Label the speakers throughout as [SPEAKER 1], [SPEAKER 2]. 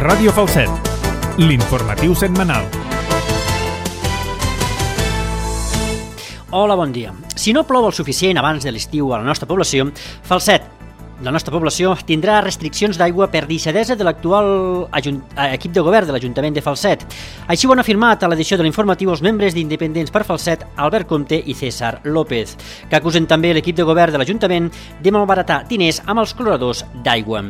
[SPEAKER 1] Ràdio Falset, l'informatiu setmanal.
[SPEAKER 2] Hola, bon dia. Si no plou el suficient abans de l'estiu a la nostra població, Falset, la nostra població, tindrà restriccions d'aigua per deixadesa de l'actual equip de govern de l'Ajuntament de Falset. Així ho han afirmat a l'edició de l'informatiu els membres d'Independents per Falset, Albert Comte i César López, que acusen també l'equip de govern de l'Ajuntament de malbaratar diners amb els cloradors d'aigua.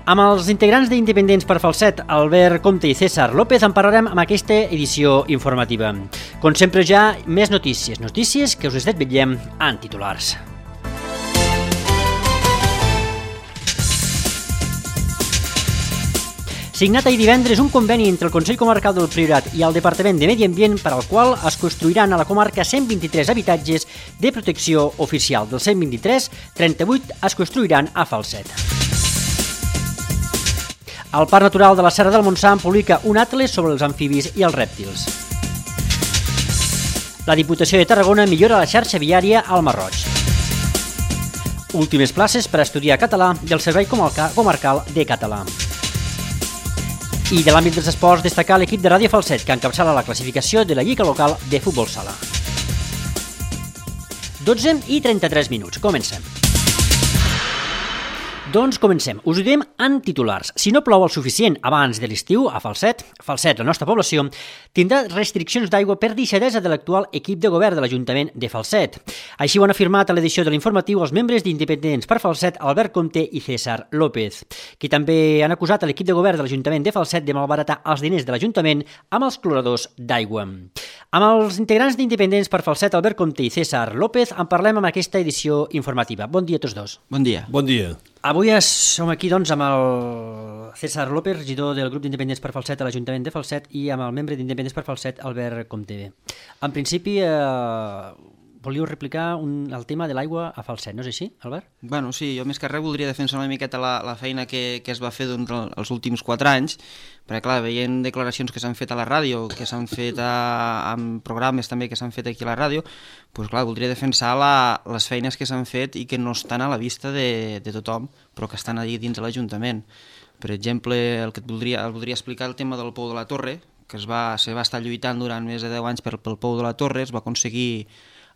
[SPEAKER 2] Amb els integrants d'Independents per Falset, Albert Comte i César López, en parlarem amb aquesta edició informativa. Com sempre ja, més notícies que us desvetllem en titulars. Signat ahir divendres un conveni entre el Consell Comarcal del Priorat i el Departament de Medi Ambient per al qual es construiran a la comarca 123 habitatges de protecció oficial. Dels 123, 38 es construiran a Falset. El Parc Natural de la Serra del Montsant publica un atles sobre els amfibis i els rèptils. La Diputació de Tarragona millora la xarxa viària al Marroig. Últimes places per a estudiar català del Servei Comarcal de Català. I de l'àmbit dels esports, destacar l'equip de Ràdio Falset, que encapçala la classificació de la Lliga Local de Futbol Sala. 12:33. Comencem. Doncs comencem. Us ho diem en titulars. Si no plou el suficient abans de l'estiu a Falset, la nostra població, tindrà restriccions d'aigua per deixadesa de l'actual equip de govern de l'Ajuntament de Falset. Així ho han afirmat a l'edició de l'informatiu els membres d'Independents per Falset, Albert Comte i César López, que també han acusat a l'equip de govern de l'Ajuntament de Falset de malbaratar els diners de l'Ajuntament amb els cloradors d'aigua. Amb els integrants d'Independents per Falset, Albert Comte i César López, en parlem amb aquesta edició informativa. Bon dia a tots dos.
[SPEAKER 3] Bon dia.
[SPEAKER 4] Bon dia.
[SPEAKER 2] Avui som aquí doncs, amb el César López, regidor del grup d'Independents per Falset a l'Ajuntament de Falset, i amb el membre d'Independents per Falset, Albert Comte. En principi, volíeu replicar el tema de l'aigua a Falset, no és així, Albert?
[SPEAKER 3] Bueno, sí, jo més que res voldria defensar una miqueta la feina que es va fer els últims 4 anys, perquè clar, veient declaracions que s'han fet a la ràdio, que s'han fet en programes també que s'han fet aquí a la ràdio, doncs clar, voldria defensar les feines que s'han fet i que no estan a la vista de tothom, però que estan allà dins de l'Ajuntament. Per exemple, el que voldria explicar el tema del Pou de la Torre, que se va estar lluitant durant més de 10 anys pel Pou de la Torre, es va aconseguir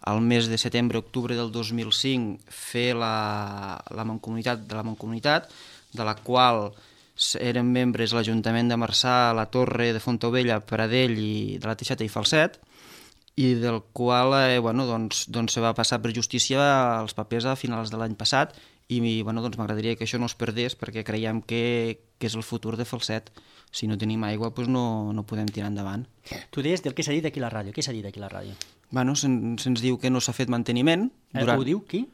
[SPEAKER 3] al mes de setembre-octubre del 2005 fer la Mancomunitat de la qual eren membres l'Ajuntament de Marçà, la Torre de Fontaubella, Pradell i de la Teixeta i Falset, i del qual se va passar per justícia els papers a finals de l'any passat, i m'agradaria que això no es perdés perquè creiem que és el futur de Falset. Si no tenim aigua no podem tirar endavant.
[SPEAKER 2] Tu deies del que s'ha dit aquí a la ràdio. Què s'ha dit aquí a la ràdio?
[SPEAKER 3] Se'ns diu que no s'ha fet manteniment.
[SPEAKER 2] Ho diu qui?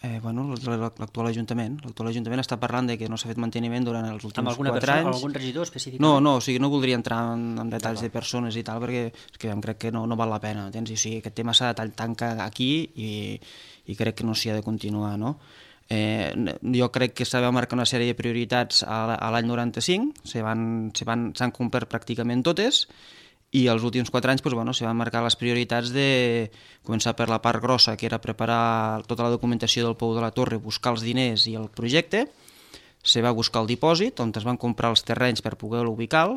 [SPEAKER 3] L'actual Ajuntament. L'actual Ajuntament està parlant de que no s'ha fet manteniment durant els últims 4 anys.
[SPEAKER 2] Amb alguna persona, amb algun regidor específic?
[SPEAKER 3] No voldria entrar en detalls de persones i tal, perquè crec que no val la pena. Aquest tema s'ha de tancar aquí i crec que no s'hi ha de continuar, no? Jo crec que s'ha de marcar una sèrie de prioritats a l'any 95, s'han complert pràcticament totes, i els últims 4 anys se van marcar les prioritats de començar per la part grossa, que era preparar tota la documentació del Pou de la Torre, buscar els diners i el projecte. Se va buscar el dipòsit, on es van comprar els terrenys per poder-lo ubicar,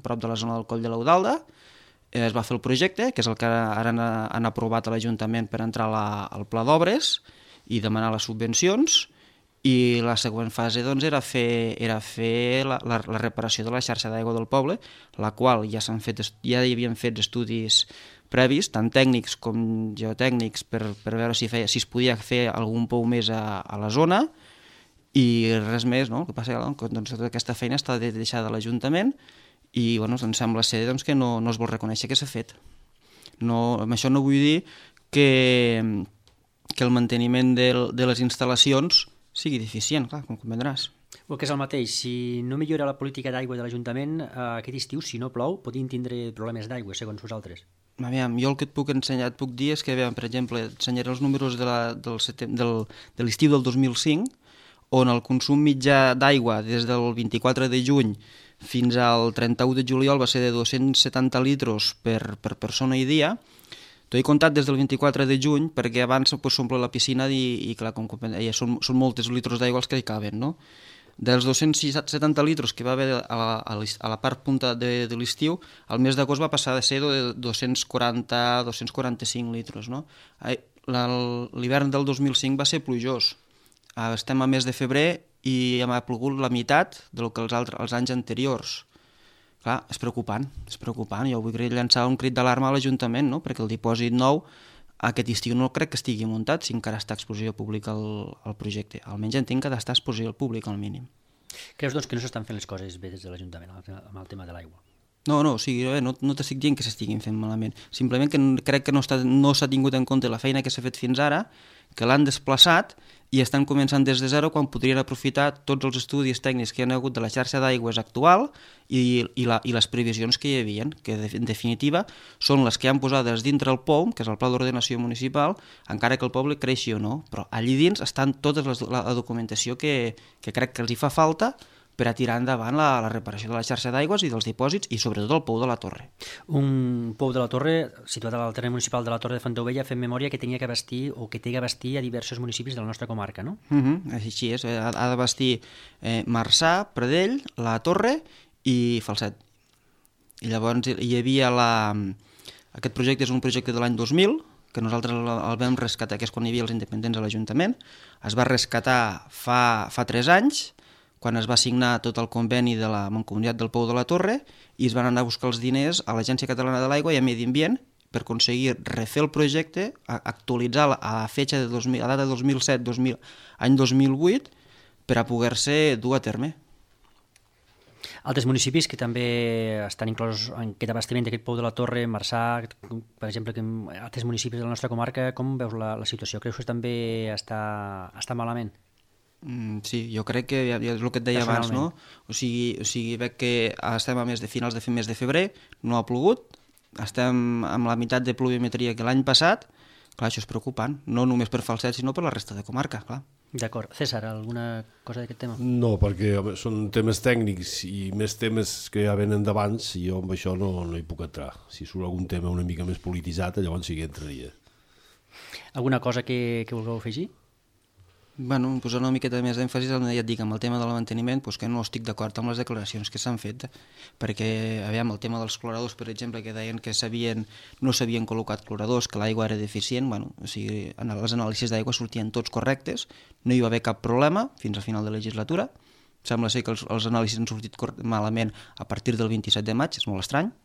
[SPEAKER 3] prop de la zona del Coll de l'Eudalda. Es va fer el projecte, que és el que ara han aprovat a l'Ajuntament per entrar al pla d'obres i demanar les subvencions, i la següent fase era fer la reparació de la xarxa d'aigua del poble, la qual ja hi havien fet estudis previs, tant tècnics com geotècnics, per veure si es podia fer algun pou més a la zona, i res més, no? El que passa que tota aquesta feina està deixada a l'Ajuntament i em sembla ser que no es vol reconèixer que s'ha fet. Amb això no vull dir que el manteniment de les instal·lacions sigui deficient, clar, com comprendràs.
[SPEAKER 2] Que és el mateix, si no millora la política d'aigua de l'Ajuntament, aquest estiu, si no plou, podien tindre problemes d'aigua, segons vosaltres.
[SPEAKER 3] Aviam, jo el que et puc ensenyar, et puc dir és que, per exemple, ensenyaré els números de l'estiu del 2005, on el consum mitjà d'aigua des del 24 de juny fins al 31 de juliol va ser de 270 litres per persona i dia. T'ho he comptat des del 24 de juny perquè abans s'omple la piscina i clar, són moltes litres d'aigua els que hi caben, no? dels 270 litres que va haver a la part punta de l'estiu, el mes d'agost va passar de ser de 245 litres. No? L'hivern del 2005 va ser plujós. Estem a mes de febrer i ha plogut la meitat del que els anys anteriors. Clar, és preocupant. Jo vull llançar un crit d'alarma a l'Ajuntament, no? Perquè el dipòsit nou aquest estiu no crec que estigui muntat si encara està a exposició pública el projecte. Almenys entenc que ha d'estar a exposició pública al mínim.
[SPEAKER 2] Creus doncs que no s'estan fent les coses bé des de l'Ajuntament amb el tema de l'aigua?
[SPEAKER 3] No, o sigui, no t'estic dient que s'estiguin fent malament. Simplement que crec que no s'ha tingut en compte la feina que s'ha fet fins ara, que l'han desplaçat i estan començant des de zero quan podrien aprofitar tots els estudis tècnics que hi ha hagut de la xarxa d'aigües actual i les previsions que hi havia, que en definitiva són les que han posades dintre el POM, que és el Pla d'Ordenació Municipal, encara que el poble creixi o no, però allí dins estan tota la documentació que crec que els hi fa falta per a tirar endavant la reparació de la xarxa d'aigües i dels dipòsits i sobretot el pou de la Torre.
[SPEAKER 2] Un pou de la Torre situat al terreny municipal de la Torre de Fontaubella, fent memòria que tenia que abastir o que té que abastir a diversos municipis de la nostra comarca, no?
[SPEAKER 3] Així és, ha d'abastir Marçà, Pradell, la Torre i Falset. I llavors hi havia aquest projecte és un projecte de l'any 2000, que nosaltres el vam rescatar, que és quan hi havia els independents a l'Ajuntament. Es va rescatar fa 3 anys, quan es va signar tot el conveni de la Mancomunitat del Pou de la Torre i es van anar a buscar els diners a l'Agència Catalana de l'Aigua i a Medi Ambient per aconseguir refer el projecte, actualitzar a data 2007, any 2008, per a poder-se dur a terme.
[SPEAKER 2] Altres municipis que també estan inclosos en aquest abastiment d'aquest pou de la Torre, Marçà, per exemple, que altres municipis de la nostra comarca, com veus la situació? Creus que també està malament?
[SPEAKER 3] Sí, jo crec que és el que et deia abans, no? O sigui, veig que estem a finals de mes de febrer, no ha plogut, estem amb la meitat de pluviometria que l'any passat, clar, això és preocupant, no només per Falset, sinó per la resta de comarca, clar.
[SPEAKER 2] D'acord. César, alguna cosa d'aquest tema?
[SPEAKER 4] No, perquè són temes tècnics i més temes que ja venen d'abans i jo amb això no hi puc entrar. Si surt algun tema una mica més polititzat, llavors sí que entraria.
[SPEAKER 2] Alguna cosa que vulgueu afegir?
[SPEAKER 3] Bueno, posar una miqueta més d'èmfasis, ja et dic, amb el tema del manteniment, que no estic d'acord amb les declaracions que s'han fet, perquè, aviam, el tema dels cloradors, per exemple, que deien que no s'havien col·locat cloradors, que l'aigua era deficient, bueno, o sigui, les anàlisis d'aigua sortien tots correctes, no hi va haver cap problema fins al final de la legislatura, sembla ser que els anàlisis han sortit malament a partir del 27 de maig, és molt estrany,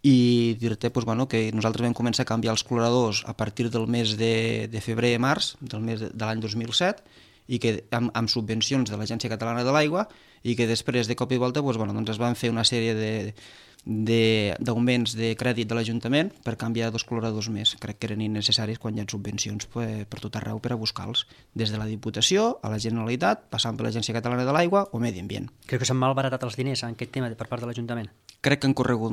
[SPEAKER 3] i dir-te que nosaltres vam començar a canviar els cloradors a partir del mes de febrer-març de l'any 2007 i que amb subvencions de l'Agència Catalana de l'Aigua i que després de cop i volta es van fer una sèrie d'augments de crèdit de l'Ajuntament per canviar 2 cloradors més. Crec que eren innecessaris quan hi ha subvencions per tot arreu per a buscar-los, des de la Diputació a la Generalitat, passant per l'Agència Catalana de l'Aigua o Medi Ambient.
[SPEAKER 2] Creu que s'han malbaratat els diners en aquest tema per part de l'Ajuntament?
[SPEAKER 3] Crec que han corregut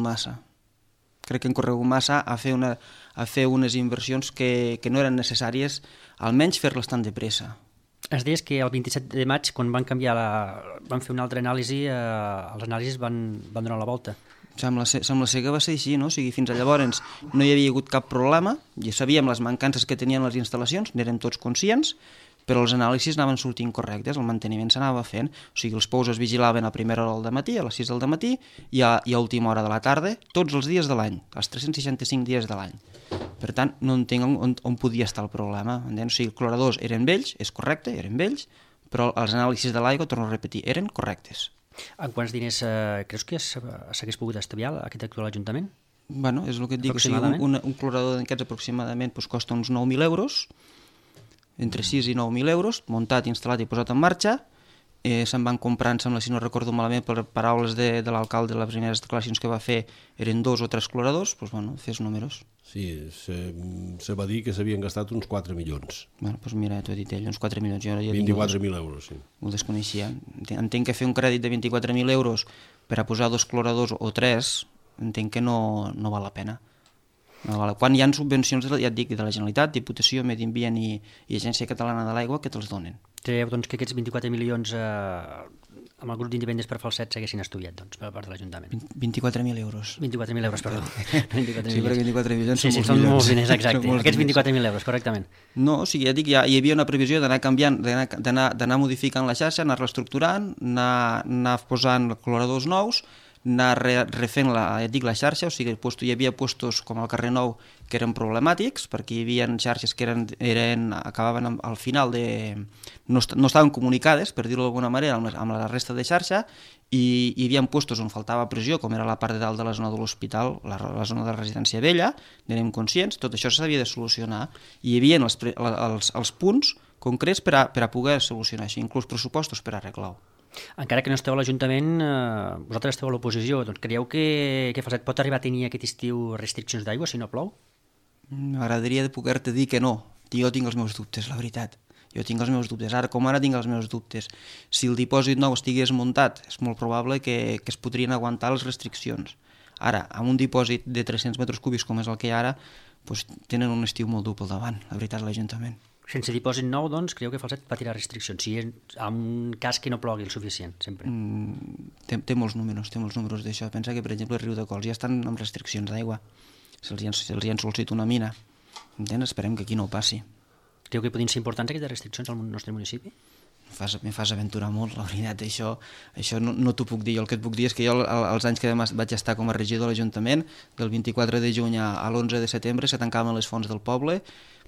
[SPEAKER 3] massa a fer unes inversions que no eren necessàries, almenys fer-les tan de pressa.
[SPEAKER 2] Ens deies que el 27 de maig, quan van fer una altra anàlisi, els anàlisis van donar la volta.
[SPEAKER 3] Sembla ser que va ser així, no? O sigui, fins a llavors no hi havia hagut cap problema, ja sabíem les mancances que tenien les instal·lacions, n'érem tots conscients, però els anàlisis anaven sortint correctes, el manteniment s'anava fent, o sigui, els pous es vigilaven a primera hora del matí, a les 6 del matí i a última hora de la tarda, tots els dies de l'any, els 365 dies de l'any. Per tant, no entenc on podia estar el problema. O sigui, els cloradors eren vells, és correcte, eren vells, però els anàlisis de l'aigua, torno a repetir, eren correctes.
[SPEAKER 2] En quants diners creus que s'hagués pogut estalviar aquest actual Ajuntament?
[SPEAKER 3] Bueno, és el que et dic, o sigui, un clorador d'aquests aproximadament costa uns 9.000 euros, entre 6 i 9.000 euros, muntat, instal·lat i posat en marxa. Se'n van comprant, sembla, si no recordo malament, per paraules de l'alcalde, les primeres declaracions que va fer eren 2 o 3 cloradors, doncs bueno, fes números.
[SPEAKER 4] Sí, se va dir que s'havien gastat uns 4 milions.
[SPEAKER 3] Bueno, doncs mira, t'ho he dit ell, uns 4 milions.
[SPEAKER 4] 24.000 euros, sí.
[SPEAKER 3] Ho desconeixia. Entenc que fer un crèdit de 24.000 euros per a posar 2 cloradors o 3, entenc que no val la pena. Quan hi ha subvencions, ja et dic, de la Generalitat, Diputació, Medi Ambient i Agència Catalana de l'Aigua que te'ls donen.
[SPEAKER 2] Creieu doncs, que aquests 24 milions amb el grup d'independents per Falset s'haguessin estudiat, doncs, per part de l'Ajuntament.
[SPEAKER 3] 24.000 euros.
[SPEAKER 2] 24.000 euros, perdó.
[SPEAKER 3] Sí, perquè 24 milions
[SPEAKER 2] sí, són molts diners, exacte. Aquests 24.000 euros, correctament.
[SPEAKER 3] No, o sigui, ja dic, hi havia una previsió d'anar canviant, d'anar modificant la xarxa, anar reestructurant, anar posant coloradors nous, anar refent la xarxa, o sigui, hi havia puestos com al carrer Nou que eren problemàtics, perquè hi havia xarxes que acabaven al final no estaven comunicades, per dir-ho d'alguna manera, amb la resta de xarxa, i hi havia puestos on faltava pressió, com era la part de dalt de la zona de l'hospital, la zona de la residència vella, n'érem conscients, tot això s'havia de solucionar, i hi havia els punts concrets per a poder solucionar això, inclús pressupostos per arreglar-ho.
[SPEAKER 2] Encara que no esteu a l'Ajuntament, vosaltres esteu a l'oposició, doncs creieu que Falset pot arribar a tenir aquest estiu restriccions d'aigua si no plou?
[SPEAKER 3] M'agradaria poder-te dir que no. Jo tinc els meus dubtes, la veritat. Jo tinc els meus dubtes. Ara com ara tinc els meus dubtes. Si el dipòsit nou estigués muntat, és molt probable que es podrien aguantar les restriccions. Ara, amb un dipòsit de 300 metres cúbics com és el que hi ha ara, doncs tenen un estiu molt dur pel davant, la veritat, l'Ajuntament.
[SPEAKER 2] Sense dipòsit nou, doncs, creieu que Falset patirà restriccions, si en un cas que no plogui el suficient, sempre?
[SPEAKER 3] Té molts números d'això. Pensa que, per exemple, el riu de Cols ja estan amb restriccions d'aigua. Se'ls hi han sol·licitat una mina. Entens? Esperem que aquí no ho passi.
[SPEAKER 2] Creu que podrien ser importants aquestes restriccions al nostre municipi?
[SPEAKER 3] Me fas aventurar molt, la veritat. Això no t'ho puc dir. Jo el que et puc dir és que jo, els anys que vaig estar com a regidor de l'Ajuntament, del 24 de juny a l'11 de setembre se tancaven les fonts del poble,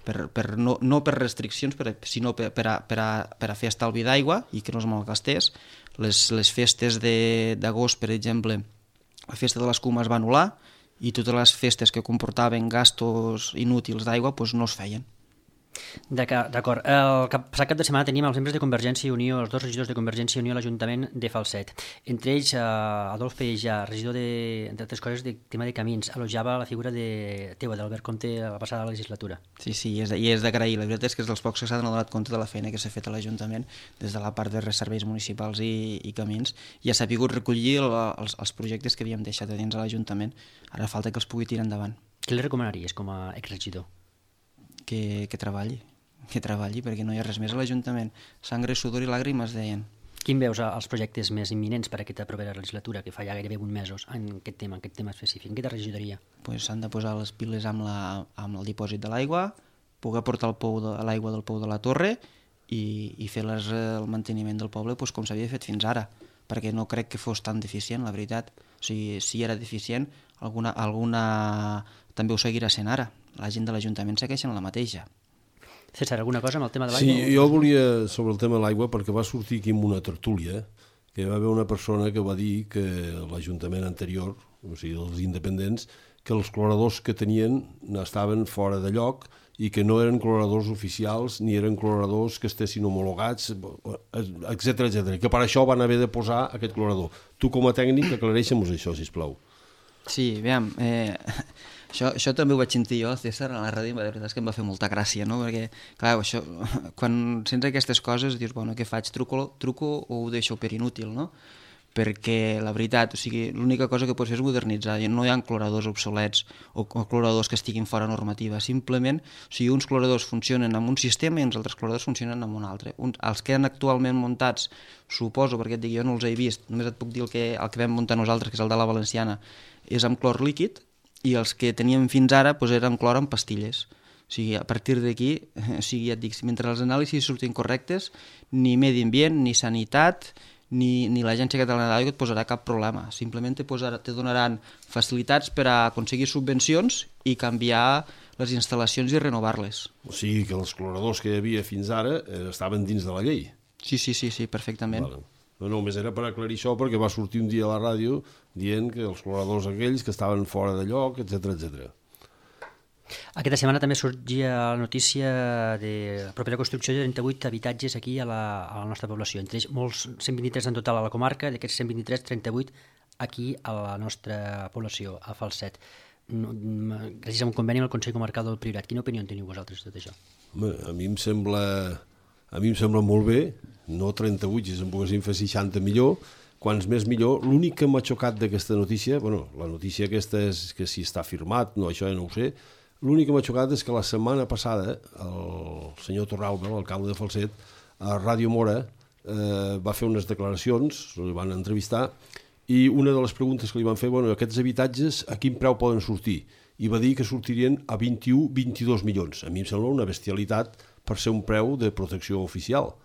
[SPEAKER 3] no per restriccions, sinó per a fer estalvi d'aigua i que no es malgastés. Les festes d'agost, per exemple, la festa de l'escuma es va anul·lar i totes les festes que comportaven gastos inútils d'aigua no es feien.
[SPEAKER 2] D'acord. El passat cap de setmana teníem els membres de Convergència i Unió, els dos regidors de Convergència i Unió a l'Ajuntament de Falset. Entre ells, Adolf Peïjà, regidor entre altres coses, de tema de camins, elogiava la figura teua, d'Albert Comte, a la passada legislatura.
[SPEAKER 3] Sí, i és d'agrair. La veritat és que és dels pocs que s'han donat compte de la feina que s'ha fet a l'Ajuntament des de la part de serveis municipals i camins, i ha sabut recollir els projectes que havíem deixat a dins de l'Ajuntament. Ara falta que els pugui tirar endavant.
[SPEAKER 2] Què li recomanaries com a exregidor?
[SPEAKER 3] Que treballi, perquè no hi ha res més a l'Ajuntament. Sangre, sudor i làgrimes, deien.
[SPEAKER 2] Quin veus els projectes més imminents per a aquesta propera legislatura, que fa ja gairebé 8 mesos, en aquest tema específic? En aquesta regidoria?
[SPEAKER 3] S'han de posar les piles amb el dipòsit de l'aigua, poder portar l'aigua del pou de la torre i fer el manteniment del poble com s'havia fet fins ara, perquè no crec que fos tan deficient, la veritat. O sigui, si era deficient, alguna també ho seguirà sent ara. La gent de l'Ajuntament segueixen la mateixa.
[SPEAKER 2] César, alguna cosa amb el tema de l'aigua?
[SPEAKER 4] Sí, jo volia sobre el tema de l'aigua, perquè va sortir aquí en una tertúlia que va haver una persona que va dir que l'Ajuntament anterior, o sigui, els independents, que els cloradors que tenien estaven fora de lloc i que no eren cloradors oficials ni eren cloradors que estessin homologats, etc, que per això van haver de posar aquest clorador. Tu, com a tècnic, aclareix-nos això, sisplau.
[SPEAKER 3] Sí, aviam, això també ho vaig sentir jo, César, a la ràdio, la veritat és que em va fer molta gràcia, no? Perquè, clar, això, quan sents aquestes coses dius, bueno, què faig, truco o ho deixo per inútil, no? Perquè, la veritat, o sigui, l'única cosa que pots fer és modernitzar, no hi ha cloradors obsolets o cloradors que estiguin fora normativa, simplement, o sigui, uns cloradors funcionen amb un sistema i uns altres cloradors funcionen amb un altre. Els que han actualment muntats, suposo, perquè et dic, jo no els he vist, només et puc dir el que vam muntar nosaltres, que és el de la Valenciana, és amb clor líquid, i els que teníem fins ara eren clor amb pastilles. O sigui, a partir d'aquí, o sigui, ja et dic, mentre els anàlisis surtin correctes, ni medi ambient, ni sanitat, ni l'Agència Catalana d'Aigua et posarà cap problema. Simplement te donaran facilitats per a aconseguir subvencions i canviar les instal·lacions i renovar-les.
[SPEAKER 4] O sigui que els cloradors que hi havia fins ara estaven dins de la llei.
[SPEAKER 3] Sí, perfectament.
[SPEAKER 4] Vale. No, només era per aclarir això, perquè va sortir un dia a la ràdio dient que els cloradors aquells que estaven fora de lloc, etc.
[SPEAKER 2] Aquesta setmana també sorgia la notícia de la propera construcció de 38 habitatges aquí a la nostra població, entre ells molts 123 en total a la comarca, d'aquests 123, 38 aquí a la nostra població, a Falset. Gràcies a un conveni amb el Consell Comarcal del Priorat. Quina opinió en teniu vosaltres de tot això?
[SPEAKER 4] Home, a mi em sembla molt bé, no 38, si se'n poguessin fer 60 millor, quants més millor. L'únic que m'ha xocat d'aquesta notícia, la notícia aquesta és que si està firmat, no, això ja no ho sé, l'únic que m'ha xocat és que la setmana passada el senyor Torralba, l'alcalde de Falset, a Ràdio Mora, va fer unes declaracions, li van entrevistar, i una de les preguntes que li van fer, bueno, aquests habitatges a quin preu poden sortir? I va dir que sortirien a 21-22 milions. A mi em sembla una bestialitat per ser un preu de protecció oficial.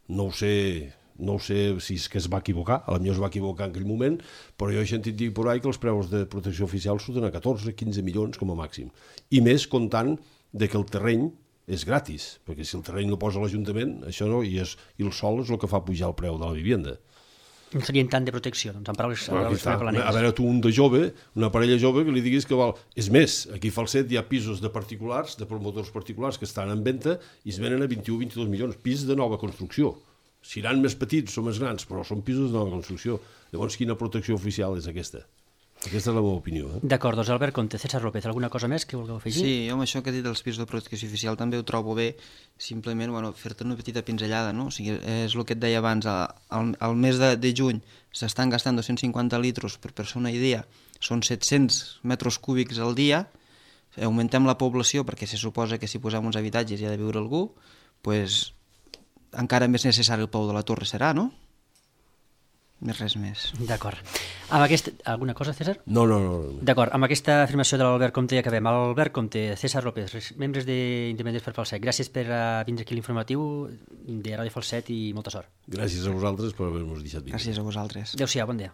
[SPEAKER 4] No ho sé si és que es va equivocar, potser es va equivocar en aquell moment, però jo he sentit dir per ahí que els preus de protecció oficial surten a 14-15 milions com a màxim. I més comptant de que el terreny és gratis, perquè si el terreny no posa l'Ajuntament, això no, i el sol és el que fa pujar el preu de la vivenda.
[SPEAKER 2] No serien tant de protecció, doncs, en paraules
[SPEAKER 4] a veure, tu un de jove, una parella jove, que li diguis que val... És més, aquí a Falset hi ha pisos de particulars, de promotors particulars que estan en venda i es venen a 21-22 milions, pis de nova construcció. Seran més petits o més grans, però són pisos de nova construcció. Llavors, quina protecció oficial és aquesta? Aquesta és la meva opinió.
[SPEAKER 2] D'acord, doncs Albert Conte, César López, alguna cosa més que vulgueu afegir?
[SPEAKER 3] Sí, jo amb això que he dit dels pisos de protecció oficial també ho trobo bé, simplement fer-te una petita pinzellada, no? O sigui, és el que et deia abans, al mes de juny s'estan gastant 250 litros per persona i dia, són 700 metres cúbics al dia, augmentem la població perquè se suposa que si posem uns habitatges hi ha de viure algú, doncs encara més necessari el pou de la torre serà, no? Res més.
[SPEAKER 2] D'acord. Alguna cosa, César?
[SPEAKER 4] No.
[SPEAKER 2] D'acord, amb aquesta afirmació de l'Albert Comte ja acabem. Albert Comte, César López, membres d'Independents per Falset, gràcies per vindre aquí a l'informatiu de Ràdio Falset i molta sort.
[SPEAKER 4] Gràcies a vosaltres per haver-nos deixat vindre.
[SPEAKER 3] Gràcies a vosaltres.
[SPEAKER 2] Adéu-siau, bon dia.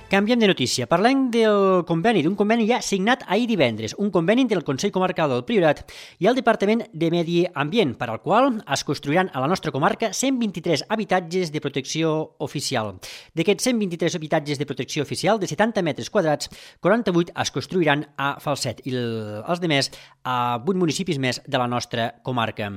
[SPEAKER 2] Canviem de notícia. Parlem d'un conveni ja signat ahir divendres, un conveni entre el Consell Comarcal del Priorat i el Departament de Medi Ambient, per al qual es construiran a la nostra comarca 123 habitatges de protecció oficial. D'aquests 123 habitatges de protecció oficial, de 70 metres quadrats, 48 es construiran a Falset i els demés a 8 municipis més de la nostra comarca.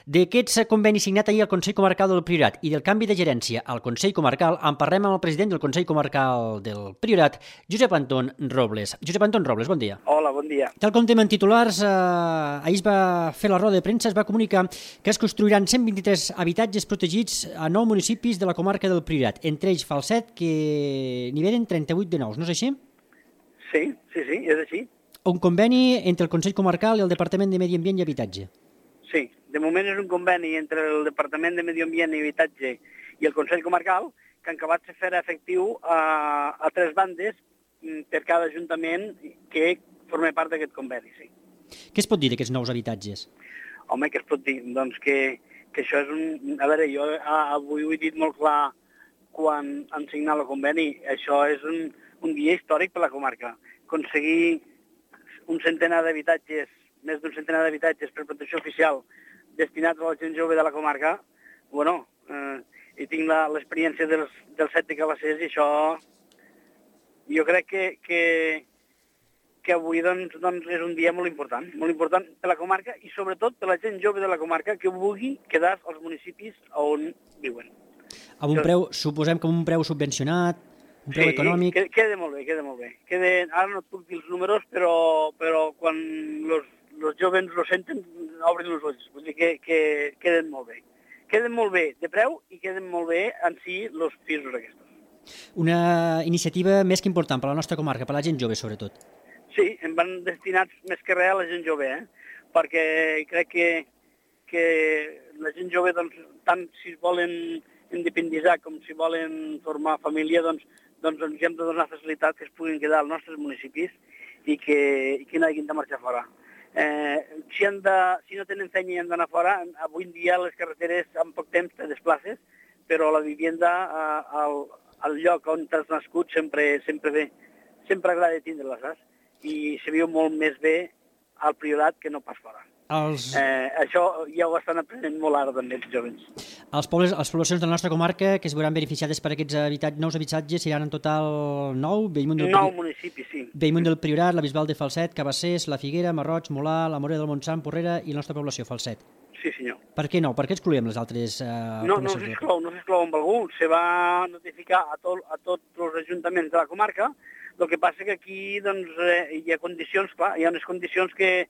[SPEAKER 2] D'aquests convenis signat ahir al Consell Comarcal del Priorat i del canvi de gerència al Consell Comarcal, en parlem amb el president del Consell Comarcal del Priorat, Josep Anton Robles. Josep Anton Robles, bon dia.
[SPEAKER 5] Hola, bon dia.
[SPEAKER 2] Tal com tenim en titulars, ahir es va fer la roda de premsa, es va comunicar que es construiran 123 habitatges protegits a 9 municipis de la comarca del Priorat, entre ells Falset, que n'hi venen 38 de nous, no és així?
[SPEAKER 5] Sí, és així.
[SPEAKER 2] Un conveni entre el Consell Comarcal i el Departament de Medi Ambient i Habitatge.
[SPEAKER 5] Sí, de moment és un conveni entre el Departament de Medi Ambient i Habitatge i el Consell Comarcal, que han acabat de fer efectiu a 3 bandes per cada ajuntament que forma part d'aquest conveni, sí.
[SPEAKER 2] Què es pot dir d'aquests nous habitatges?
[SPEAKER 5] Home, què es pot dir? Doncs que això és un... A veure, jo avui ho he dit molt clar quan han signat el conveni. Això és un dia històric per la comarca. Aconseguir un centenar d'habitatges, més d'un centenar d'habitatges per protecció oficial destinats a la gent jove de la comarca, bueno... i tinc l'experiència dels 7 de Cabassers i això jo crec que avui doncs, és un dia molt important per la comarca i sobretot per la gent jove de la comarca que vulgui quedar als municipis on viuen.
[SPEAKER 2] Amb un preu, suposem que amb un preu subvencionat, un preu econòmic...
[SPEAKER 5] Sí, queda molt bé. Ara no et puc dir els números, però quan els joves ho senten, obren els ulls. Vull dir que queden molt bé. Queden molt bé de preu i queden molt bé en si els pisos aquests.
[SPEAKER 2] Una iniciativa més que important per a la nostra comarca, per a la gent jove sobretot.
[SPEAKER 5] Sí, em van destinats més que res a la gent jove, perquè crec que la gent jove, doncs, tant si volen independitzar com si volen formar família, doncs ens hem de donar facilitat que es puguin quedar als nostres municipis i que no hagin de marxar fora. Si no tenen feina i han d'anar fora, avui en dia les carreteres en poc temps te desplaces, però la vivenda al lloc on t'has nascut sempre bé, sempre agrada tindre-la, saps? I se viu molt més bé al Priorat que no pas fora. Això ja ho estan aprenent molt ara també els joves.
[SPEAKER 2] Les poblacions de la nostra comarca que es veuran beneficiades per aquests nous habitatges seran en total 9?
[SPEAKER 5] 9 municipis, sí.
[SPEAKER 2] Bellmunt del Priorat, la Bisbal de Falset, Cabassers, la Figuera, Marroig, Molà, la Morera del Montsant, Porrera i la nostra població, Falset.
[SPEAKER 5] Sí, senyor.
[SPEAKER 2] Per què no? Per què excloem les altres poblacions?
[SPEAKER 5] No s'exclou amb algú. Se va notificar a tots els ajuntaments de la comarca. El que passa que aquí doncs, hi ha condicions, clar, hi ha unes condicions que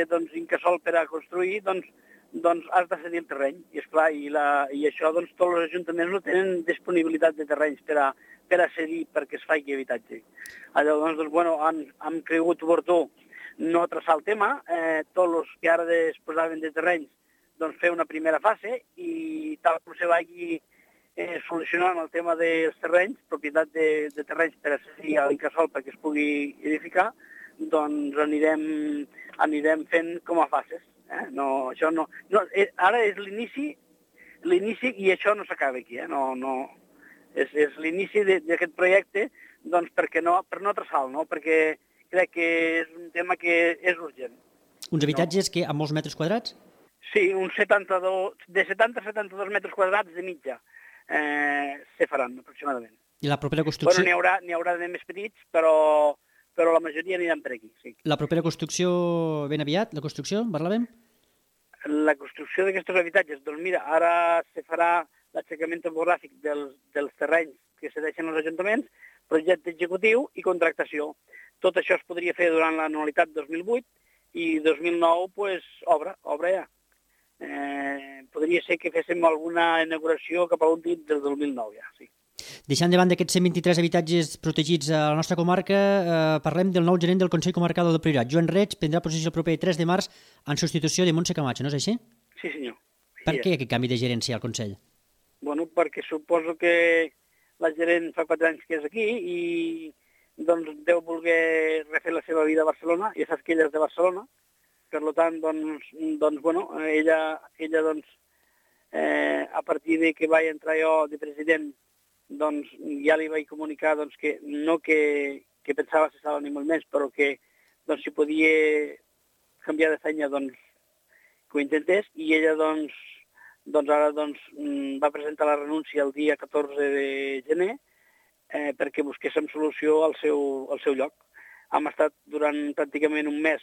[SPEAKER 5] doncs, incasol per a construir, doncs has de cedir el terreny. I esclar, i això doncs, tots els ajuntaments no tenen disponibilitat de terrenys per a cedir perquè es faci habitatge. Llavors, bueno, han cregut oportú no traçar el tema. Tots els que ara es posaven de terrenys doncs, fer una primera fase i tal com se vagi solucionant el tema dels terrenys, propietat de terrenys per accedir a l'Incasòl perquè es pugui edificar, doncs anirem fent com a fases. No, això no, ara és l'inici i això no s'acaba aquí. És l'inici d'aquest projecte doncs, per no atrasar-lo, no? Perquè crec que és un tema que és urgent.
[SPEAKER 2] Uns habitatges que amb molts metres quadrats?
[SPEAKER 5] Sí, de 70 a 72 metres quadrats de mitja se faran aproximadament.
[SPEAKER 2] I la propera construcció...
[SPEAKER 5] Bueno, n'hi haurà de més petits, però la majoria aniran per aquí, sí.
[SPEAKER 2] La propera construcció ben aviat, la construcció, en parlàvem?
[SPEAKER 5] La construcció d'aquests habitatges, doncs mira, ara se farà l'aixecament topogràfic dels terrenys que cedeixen als ajuntaments, projecte executiu i contractació. Tot això es podria fer durant l'anualitat 2008 i 2009, pues, obra ja. Podria ser que féssim alguna inauguració cap a l'últim del 2009 ja, sí.
[SPEAKER 2] Deixant de banda aquests 123 habitatges protegits a la nostra comarca, parlem del nou gerent del Consell Comarcal del Priorat. Joan Reig prendrà possessió el proper 3 de març en substitució de Montse Camacho, no és així?
[SPEAKER 5] Sí, senyor.
[SPEAKER 2] Per què aquest canvi de gerència al Consell?
[SPEAKER 5] Bueno, perquè suposo que la gerent fa 4 anys que és aquí i doncs deu voler refer la seva vida a Barcelona, ja saps que ella és de Barcelona, per tant, doncs bueno, ella doncs, a partir de que vaig entrar jo de president, doncs ja li vaig comunicar doncs, que no que pensava cessar ni molt més, però que doncs, si podia canviar de feina doncs, que ho intentés, i ella doncs ara va presentar la renúncia el dia 14 de gener perquè busquéssim solució al seu lloc. Hem estat durant pràcticament un mes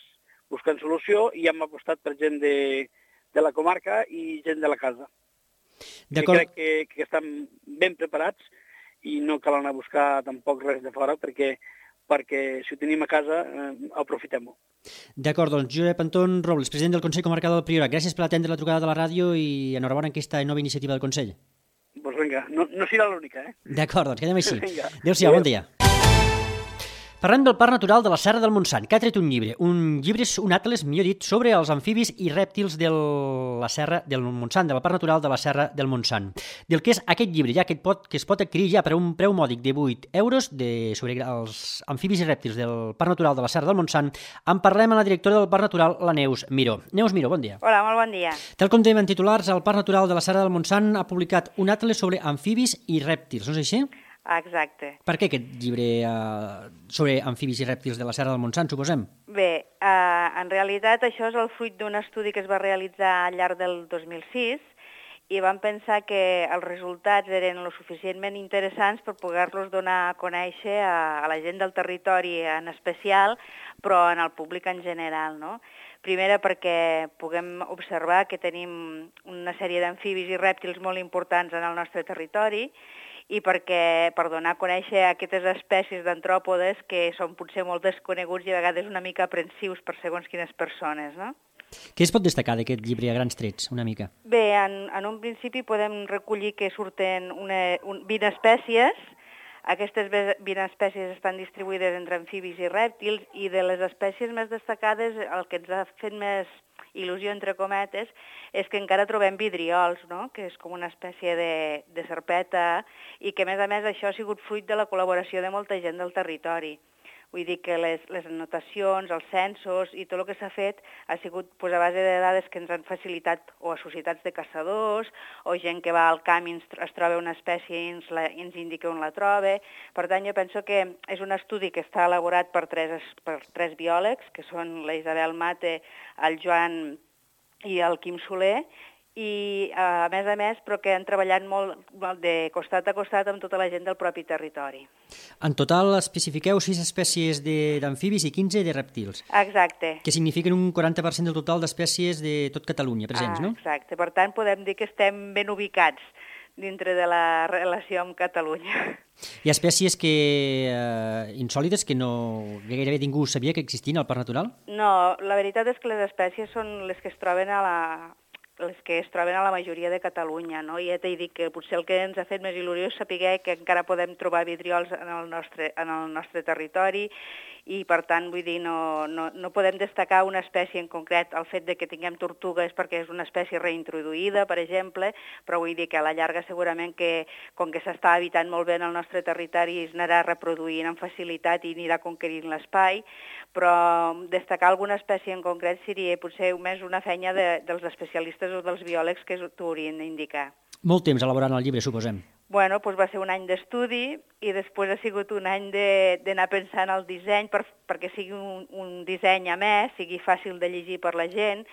[SPEAKER 5] buscant solució i hem apostat per gent de la comarca i gent de la casa. Crec que estan ben preparats i no cal anar a buscar tampoc res de fora perquè si ho tenim a casa aprofitem-ho.
[SPEAKER 2] D'acord, doncs Josep Anton Robles, president del Consell Comarcal del Priorat. Gràcies per atendre la trucada de la ràdio i enhorabona en aquesta nova iniciativa del Consell.
[SPEAKER 5] Doncs vinga, no serà l'única,
[SPEAKER 2] D'acord, doncs quedem així. Adéu-siau, bon dia. Parlem del Parc Natural de la Serra del Montsant, que ha tret un llibre. Un llibre és un atles, millor dit, sobre els amfibis i rèptils de la Serra del Montsant, del Parc Natural de la Serra del Montsant. Del que és aquest llibre, ja que es pot adquirir ja per un preu mòdic de 8 euros sobre els amfibis i rèptils del Parc Natural de la Serra del Montsant, en parlem amb la directora del Parc Natural, la Neus Miró. Neus Miró, bon dia.
[SPEAKER 6] Hola, molt bon dia.
[SPEAKER 2] Tal com dèiem en titulars, el Parc Natural de la Serra del Montsant ha publicat un atles sobre amfibis i rèptils, no és així?
[SPEAKER 6] Exacte.
[SPEAKER 2] Per què aquest llibre sobre amfibis i rèptils de la Serra del Montsant, suposem?
[SPEAKER 6] Bé, en realitat això és el fruit d'un estudi que es va realitzar al llarg del 2006 i vam pensar que els resultats eren lo suficientment interessants per poder-los donar a conèixer a la gent del territori en especial, però en el públic en general, no? Primera perquè puguem observar que tenim una sèrie d'amfibis i rèptils molt importants en el nostre territori i perquè per donar a conèixer aquestes espècies d'antròpodes que són potser molt desconeguts i a vegades una mica aprensius per segons quines persones, no?
[SPEAKER 2] Què es pot destacar d'aquest llibre a grans trets, una mica?
[SPEAKER 6] Bé, en un principi podem recollir que surten 20 espècies. Aquestes 20 espècies estan distribuïdes entre amfibis i rèptils i de les espècies més destacades el que ens ha fet més il·lusió, entre cometes, és que encara trobem vidriols, no? Que és com una espècie de serpeta i que, a més, això ha sigut fruit de la col·laboració de molta gent del territori. Vull dir que les anotacions, els censos i tot el que s'ha fet ha sigut a base de dades que ens han facilitat o a societats de caçadors o gent que va al camp i es troba una espècie i ens indica on la troba. Per tant, jo penso que és un estudi que està elaborat per tres biòlegs, que són la Isabel Mate, el Joan i el Quim Soler, i a més, però que han treballat molt de costat a costat amb tota la gent del propi territori.
[SPEAKER 2] En total especifiqueu 6 espècies d'amfibis i 15 de rèptils.
[SPEAKER 6] Exacte.
[SPEAKER 2] Que signifiquen un 40% del total d'espècies de tot Catalunya presents, no?
[SPEAKER 6] Exacte. Per tant, podem dir que estem ben ubicats dintre de la relació amb Catalunya.
[SPEAKER 2] Hi ha espècies insòlites que gairebé ningú sabia que existien al Parc Natural?
[SPEAKER 6] No, la veritat és que les espècies són les que es troben a la majoria de Catalunya, no? I ja t'he dit que potser el que ens ha fet més il·lusió és saber que encara podem trobar vidriols en el nostre territori i per tant, vull dir, no podem destacar una espècie en concret. El fet de que tinguem tortuga és perquè és una espècie reintroduïda, per exemple, però vull dir que a la llarga segurament que, com que s'està habitant molt bé en el nostre territori, es anarà reproduint amb facilitat i anirà conquerint l'espai, però destacar alguna espècie en concret seria potser més una feina dels especialistes o dels biòlegs que t'ho haurien d'indicar.
[SPEAKER 2] Molt temps elaborant el llibre, suposem.
[SPEAKER 6] Bueno, doncs va ser un any d'estudi i després ha sigut un any d'anar pensant el disseny perquè sigui un disseny a més, sigui fàcil de llegir per la gent,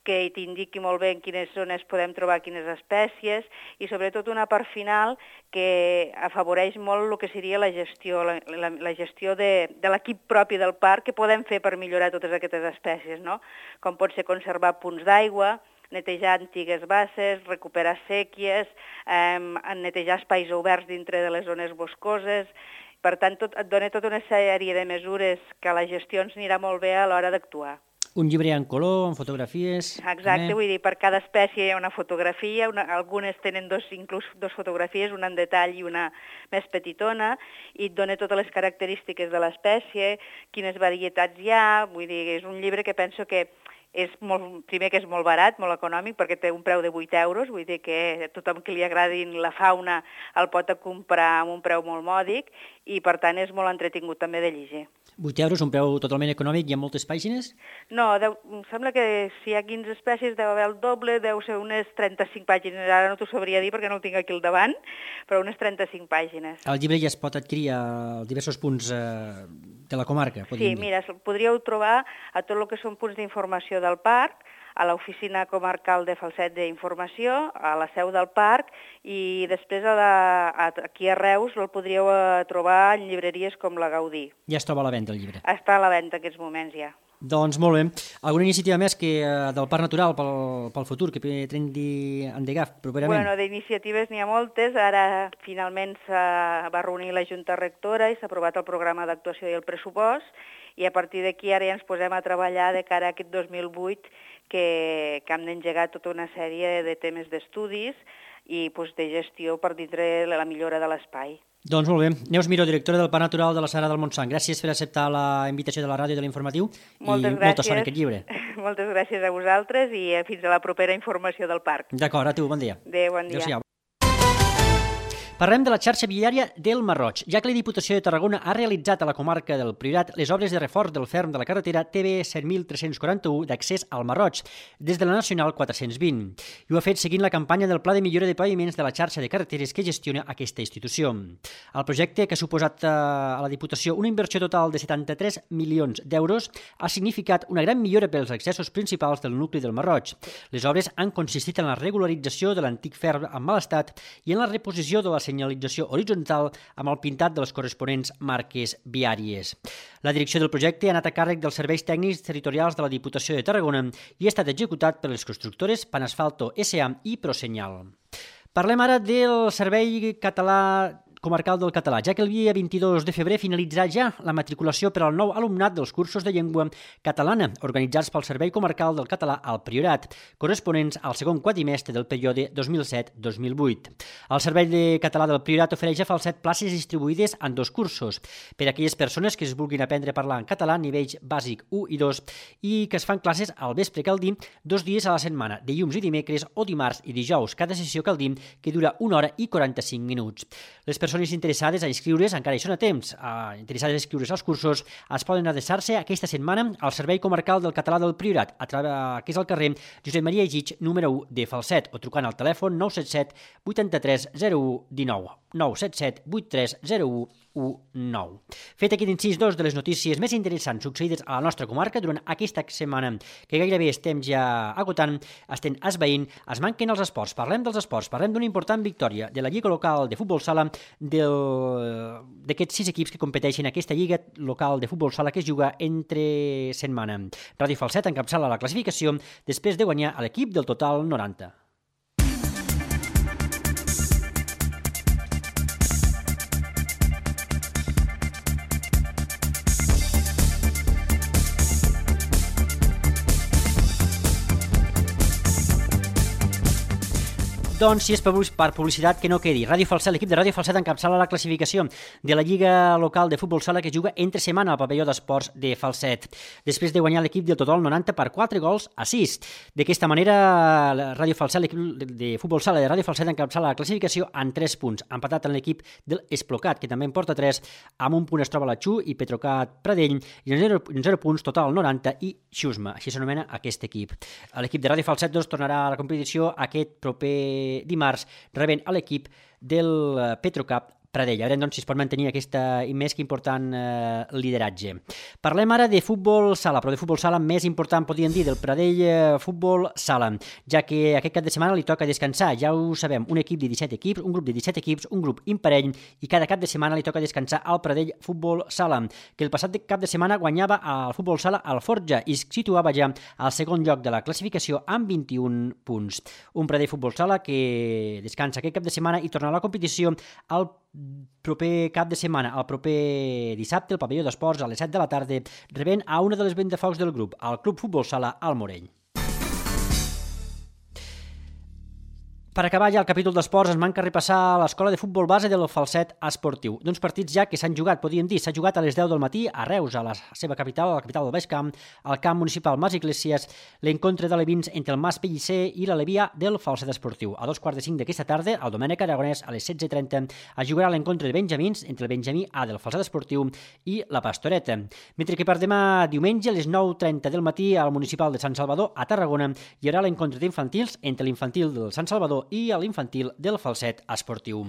[SPEAKER 6] que t'indiqui molt bé en quines zones podem trobar quines espècies i sobretot una part final que afavoreix molt el que seria la gestió, la gestió de l'equip propi del parc que podem fer per millorar totes aquestes espècies, no? Com pot ser conservar punts d'aigua, netejar antigues basses, recuperar sèquies, netejar espais oberts dintre de les zones boscoses. Per tant, et dona tota una sèrie de mesures que la gestió ens anirà molt bé a l'hora d'actuar.
[SPEAKER 2] Un llibre en color, amb fotografies...
[SPEAKER 6] Exacte, vull dir, per cada espècie hi ha una fotografia, algunes tenen inclús dos fotografies, una en detall i una més petitona, i et dona totes les característiques de l'espècie, quines varietats hi ha, vull dir, és un llibre que penso que primer que és molt barat, molt econòmic, perquè té un preu de 8 euros, vull dir que tothom que li agradin la fauna el pot comprar amb un preu molt mòdic i, per tant, és molt entretingut també de llegir.
[SPEAKER 2] 8 euros, un preu totalment econòmic, hi ha moltes pàgines?
[SPEAKER 6] No, em sembla que si hi ha 15 espècies deu haver el doble, deu ser unes 35 pàgines, ara no t'ho sabria dir perquè no ho tinc aquí al davant, però unes 35 pàgines.
[SPEAKER 2] El llibre ja es pot adquirir a diversos punts de la comarca?
[SPEAKER 6] Sí, mira, podríeu trobar a tot el que són punts d'informació del parc, a l'oficina comarcal de Falset d'Informació, a la seu del parc, i després aquí a Reus el podríeu trobar en llibreries com la Gaudí.
[SPEAKER 2] Ja es troba a la venda el llibre?
[SPEAKER 6] Està a la venda en aquests moments ja.
[SPEAKER 2] Doncs molt bé. Alguna iniciativa més del Parc Natural pel futur que pretén endegar properament?
[SPEAKER 6] Bueno, d'iniciatives n'hi ha moltes. Ara finalment va reunir la Junta Rectora i s'ha aprovat el programa d'actuació i el pressupost, i a partir d'aquí ara ja ens posem a treballar de cara a aquest 2008 que hem d'engegar tota una sèrie de temes d'estudis i de gestió per dintre la millora de l'espai.
[SPEAKER 2] Doncs molt bé. Neus Miró, directora del Parc Natural de la Sagrada del Montsant. Gràcies per acceptar la invitació de la ràdio i de l'informatiu i molta sort en aquest llibre.
[SPEAKER 6] Moltes gràcies a vosaltres i fins a la propera informació del parc.
[SPEAKER 2] D'acord, a tu, bon dia.
[SPEAKER 6] Adéu, bon dia.
[SPEAKER 2] Adéu-siau. Parlem de la xarxa viària del Marroig, ja que la Diputació de Tarragona ha realitzat a la comarca del Priorat les obres de reforç del ferm de la carretera TB 7341 d'accés al Marroig, des de la Nacional 420. I ho ha fet seguint la campanya del Pla de millora de paviments de la xarxa de carreteres que gestiona aquesta institució. El projecte, que ha suposat a la Diputació una inversió total de 73 milions d'euros, ha significat una gran millora pels accessos principals del nucli del Marroig. Les obres han consistit en la regularització de l'antic ferm en mal estat i en la reposició de la senyalització horitzontal amb el pintat de les corresponents marques viàries. La direcció del projecte ha anat a càrrec dels serveis tècnics territorials de la Diputació de Tarragona i ha estat executat per les constructores Panasfalto S.A. i Prosenyal. Parlem ara del Servei Català Comarcal del Català, ja que el dia 22 de febrer finalitzarà ja la matriculació per al nou alumnat dels cursos de llengua catalana organitzats pel Servei Comarcal del Català al Priorat, corresponents al segon quadrimestre del període 2007-2008. El Servei de Català del Priorat ofereix a Falset places distribuïdes en 2 cursos per a aquelles persones que es vulguin aprendre a parlar en català a nivells bàsic 1 i 2 i que es fan classes al vespre, cal dir, 2 dies a la setmana, dilluns i dimecres o dimarts i dijous. Cada sessió, cal dir, que dura 1 hora i 45 minuts. Les persones interessades a inscriure's, encara hi són a temps, interessades a inscriure's als cursos, es poden adreçar-se aquesta setmana al Servei Comarcal del Català del Priorat, que és al carrer Josep Maria Egich, número 1 de Falset, o trucant al telèfon 977 83 01 19, 977 83 01 19. Fet aquest incís, 2 de les notícies més interessants succeïdes a la nostra comarca durant aquesta setmana, que gairebé estem ja agotant, estem esveint, es manquen els esports. Parlem dels esports, parlem d'una important victòria de la Lliga Local de Futbol Sala d'aquests 6 equips que competeixen en aquesta Lliga Local de Futbol Sala que es juga entre setmana. Ràdio Falset encapçala la classificació després de guanyar a l'equip del Total 90. Doncs si és per publicitat que no quedi. Ràdio Falset, l'equip de Ràdio Falset encapçala la classificació de la Lliga Local de Futbol Sala que juga entre setmana al pavelló d'esports de Falset. Després de guanyar l'equip del Totol 90 per 4 gols a 6. D'aquesta manera, Ràdio Falset, l'equip de Futbol Sala de Ràdio Falset encapçala la classificació en 3 punts, empatat amb l'equip del Esplocat, que també en porta 3, amb un punt es troba la Xu i Petrocat Pradell, i en 0 punts total 90 i Xusma, així s'anomena aquest equip. L'equip de Ràdio Falset tornarà a la competició aquest proper dimarts, rebent a l'equip del Petrocap Pradell. A veure, doncs, si es pot mantenir aquest més que important lideratge. Parlem ara de futbol sala, però de futbol sala més important, podríem dir, del Pradell Futbol Sala, ja que aquest cap de setmana li toca descansar. Ja ho sabem, un equip de 17 equips, un grup de 17 equips, un grup imparell, i cada cap de setmana li toca descansar al Pradell Futbol Sala, que el passat cap de setmana guanyava al Futbol Sala al Forja i es situava ja al segon lloc de la classificació amb 21 punts. Un Pradell Futbol Sala que descansa aquest cap de setmana i torna a la competició al proper cap de setmana, el proper dissabte, al pavelló d'esports a les 7 de la tarda, rebent a una de les ventafocs del grup, el Club Futbol Sala al Morell. Per acabar ja el capítol d'esports, ens manca repassar l'escola de futbol base del Falset Esportiu. D'uns partits ja que s'han jugat, podríem dir, s'ha jugat a les 10 del matí a Reus, a la seva capital, a la capital del Baix Camp, al camp municipal Mas Iglesias, l'encontre d'alevins entre el Mas Pellicer i l'Alevia del Falset Esportiu. A 2:45 d'aquesta tarda, el Domènec Aragonès, a les 16:30, es jugarà l'encontre de benjamins entre el benjamí A del Falset Esportiu i la Pastoreta. Mentre que per demà diumenge, a les 9:30 del matí, al municipal de Sant Salvador, a Tarragona, hi haurà l'encontre d'infantils entre l'infantil del Sant Salvador i a l'infantil del Falset Esportiu.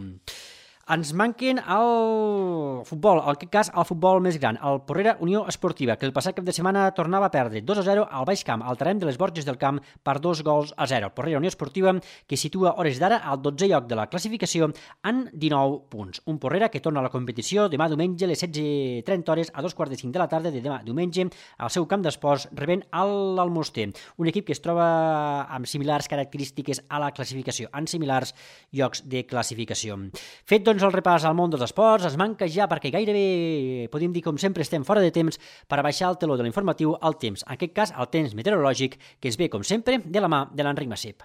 [SPEAKER 2] Ens manquen el futbol, en aquest cas el futbol més gran, el Porrera Unió Esportiva, que el passat cap de setmana tornava a perdre 2-0 al Baix Camp, al terreny de les Borges del Camp, per 2-0. El Porrera Unió Esportiva, que situa hores d'ara al 12è lloc de la classificació en 19 punts. Un Porrera que torna a la competició demà diumenge a les 16:30 a 2:45 de la tarda de demà diumenge al seu camp d'esports, rebent l'Almoster, un equip que es troba amb similars característiques a la classificació, en similars llocs de classificació. Fet, doncs, el repàs al món dels esports, es manca ja perquè gairebé, podríem dir com sempre, estem fora de temps per a baixar el teló de l'informatiu al temps, en aquest cas el temps meteorològic, que es ve, com sempre, de la mà de l'Enric Massip.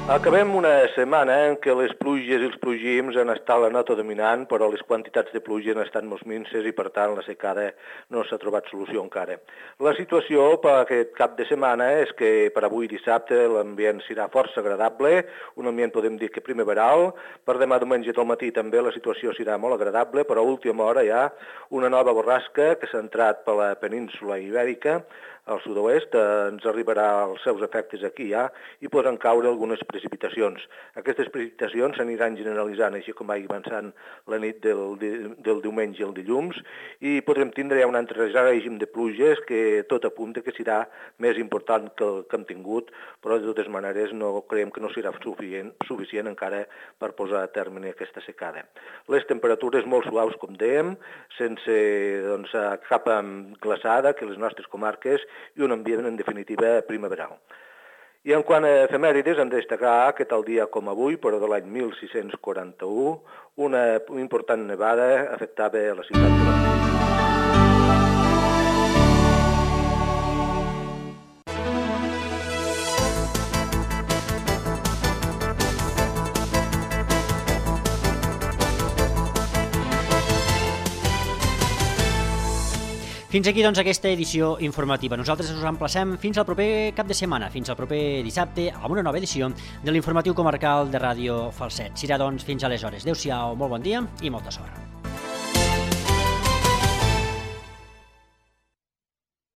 [SPEAKER 7] Acabem una setmana en què les pluges i els plogims han estat la nota dominant, però les quantitats de pluja han estat molt minses i, per tant, la secada no s'ha trobat solució encara. La situació per aquest cap de setmana és que per avui dissabte l'ambient serà força agradable, un ambient podem dir que primaveral. Per demà diumenge al matí també la situació serà molt agradable, però a última hora hi ha una nova borrasca que s'ha entrat per la península Ibèrica, al sud-oest, ens arribarà els seus efectes aquí ja i podran caure algunes precipitacions. Aquestes precipitacions s'aniran generalitzant així com vagi avançant la nit del diumenge al dilluns i podrem tindre un altre règim de pluges que tot apunta que serà més important que el que hem tingut, però de totes maneres no creiem que no serà suficient encara per posar a terme aquesta secada. Les temperatures molt suaus, com dèiem, sense cap glaçada, que les nostres comarques, i un ambient, en definitiva, primaveral. I en quant a efemèrides, hem de destacar que tal dia com avui, però de l'any 1641, una important nevada afectava a la ciutat de Barcelona.
[SPEAKER 2] Fins aquí, doncs, aquesta edició informativa. Nosaltres us emplacem fins al proper cap de setmana, fins al proper dissabte, amb una nova edició de l'informatiu comarcal de Ràdio Falset. Serà, doncs, fins aleshores. Adéu-siau, molt bon dia i molta sort.